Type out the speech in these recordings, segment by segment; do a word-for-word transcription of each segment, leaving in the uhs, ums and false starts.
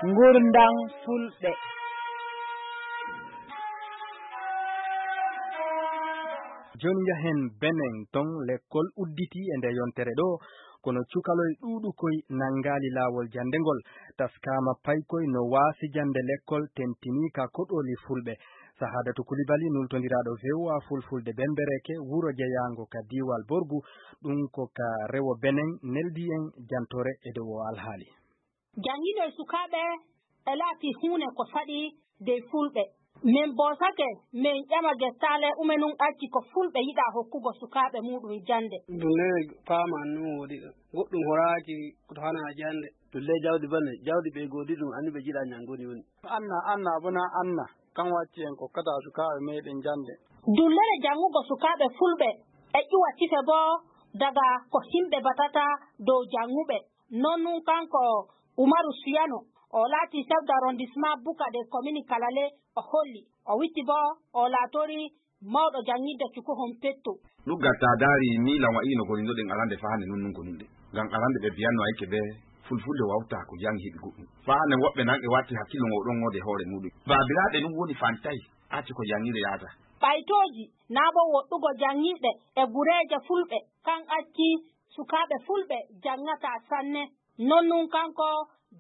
Ngurndan Fulɓe. Jooni njahen Benin, ton lekkol udditii e nde yontere ɗoo, kono cukaloy ɗuuɗukoy nanngaali laawol jannde ngol. Taskaama paykoy no waasi jannde lekkol, tentinii ka koɗooli Fulɓe. Sahadatu Kulibali, nultondiraaɗo V O A Fulfulde Bembereke, wuro jeyaango ka diiwal Borgu, ɗum ko ka rewo Benin, neldii en jantoore e dow oo alhaali. Jannginoy sukaaɓe e laatii huune ko saɗi dey Fulɓe. Min boosake, min ƴama gettaale ume nun acci ko Fulɓe yiɗaa hokkugo sukaaɓe muuɗum jannde. Ɗum ne faaman nun woodi ɗo. Goɗɗum horaaki ko to hanaa jannde. Ɗum le jawdi bane, jawdi ɓe goodi ɗum, anni ɓe jiɗaa nyanngoni woni. Anna, Anna, abona Anna. Kan wacci en kokkataa sukaaɓe meeɗen jannde. Dullere janngugo sukaaɓe Fulɓe e ƴuwa tife bo daga ko himɓe batata dow jannguɓe. Non nun kanko Umaru Siyano, o laati chef d'arrondissement Buka de commune Kalale, o holli. O witti bo, o laatori mawɗo janngidde cukohon petto. Ɗuggal taa daari miilan wa'i no gonindoɗen arande faa hande nun nun goninɗen. Ngam arande ɓe biyanno ayke ɓe fulfulde wawtaa ko jangi heɓi goɗɗum. Faa hande woɓɓe nan e watti hakkillo ngo ɗon ngoode hoore muuɗum. Baabiraaɓe nun woni fantay, acci ko jangiɗe yahata. Ɓaytooji naa bo woɗɗugo jangiɗe e gureeje fulɓe, kan acci sukaaɓe fulɓe jangataa sanne. Non nun kanko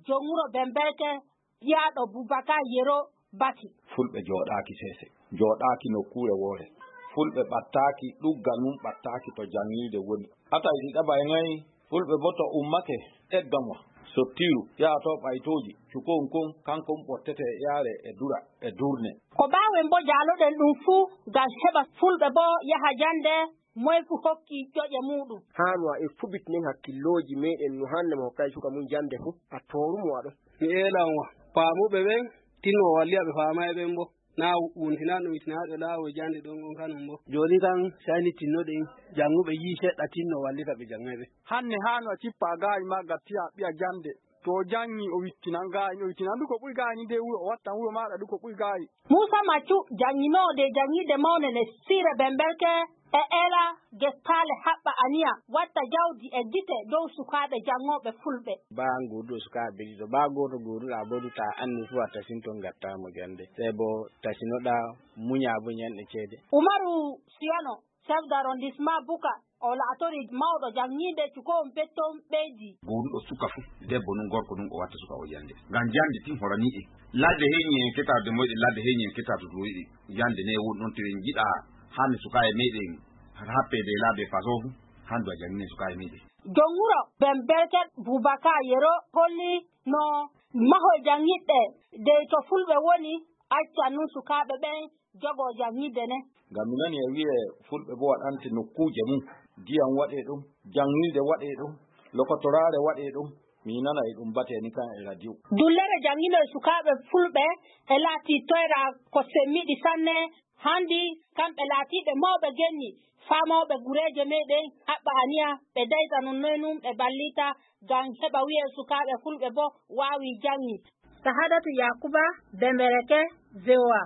jom wuro Bemberke, jiyaaɗo Bubakar Yero bati. Fulɓe jooɗaaki seese, jooɗaaki nokkuure woore. Fulɓe ɓattaaki, ɗugga nun ɓattaaki to janŋiide woni. Ata iɗi ɗaɓay ŋay, fulɓe bo to ummake, egga mo, sottiru, yaha to ɓaytooji, cukon kon, kankon ɓottete e yaare e dura, e durne. Ko ɓaawen bo jaaloɗen ɗum fu, gam heɓa fulɓe bo yaha jande, moy fu hokki ƴoƴe muuɗum. Haanu a e fubitinen hakkillooji meeɗen no hande mo hokkay suka mum jande fu, a tooru mo a ɗon. Mi eelan wa, faamuɓe ɓen, tinno walli a ɓe faamay ɓen bo. Naa wuntinaa ɗum itinaaɓe laawol jannde ɗon on kanum bo. Jooni kan, sey ni tinnoɗen, jannguɓe yi'i seɗɗa tinno wallita ɓe janngay ɓe. Hanne haanu a cippa gaayi maa gattiya ɓiya jannde. To o janngi, o wittinan gaayi, o wittinan du ko ɓuri gaayi ni de wuro, o wattan wuro maaɗa du ko ɓuri gaayi. Muusa Maccu, jannginoowo de janngiide mawne le siire Bemberke, e eela gettaale haɓɓa aniya watta jawdi e gite dow sukaaɓe janngooɓe fulɓe. Baa gooduɗo sukaaɓe ɗiɗo, baa gooto gooduɗaa bo du taa anni fu a tasinto ngattaa mo jannde. Sey bo tasinoɗaa muñaa bo ñanɗe ceede. Umaru Siyano, chef d'arrondissement Buka, o laatori mawɗo janngiide cukoon pettoon ɓeydi. Gooduɗo suka fu, debbo nun gorko nun o watta suka o jannde. Ngam jannde tin horanii en. Ladde heñi en ketaade moyɗe, ladde heñi en ketaade to yiɗi. Jannde ne woni ɗon to en jiɗaa hande sukaaɓe meeɗen happeede e laabi e façon fu, hande a janngine sukaaɓe meeɗen. Jom wuro Bemberke Bubakar Yero holli no mahol janngiɗɗe dey to fulɓe woni, acca nun sukaaɓe ɓen jogoo janngiɗde ne. Ngam mi nani e wi'e fulɓe bo waɗante nokkuuje mum, diyam waɗee ɗum, janŋirde waɗee ɗum, lokotoraare waɗee ɗum, mi nana e ɗum batee ni kan e radio. Dullere jannginoy sukaaɓe fulɓe e laatii toyra ko semmiɗi sanne, handi kamɓe laatiiɓe mawɓe genni, faa mawɓe gureeje meeɗen haɓɓa aniya ɓe dayta non noy nun ɓe ballita ngam heɓa wi'e sukaaɓe fulɓe bo waawi janŋi. Sahadatu Yakuba, Bembereke, V O A.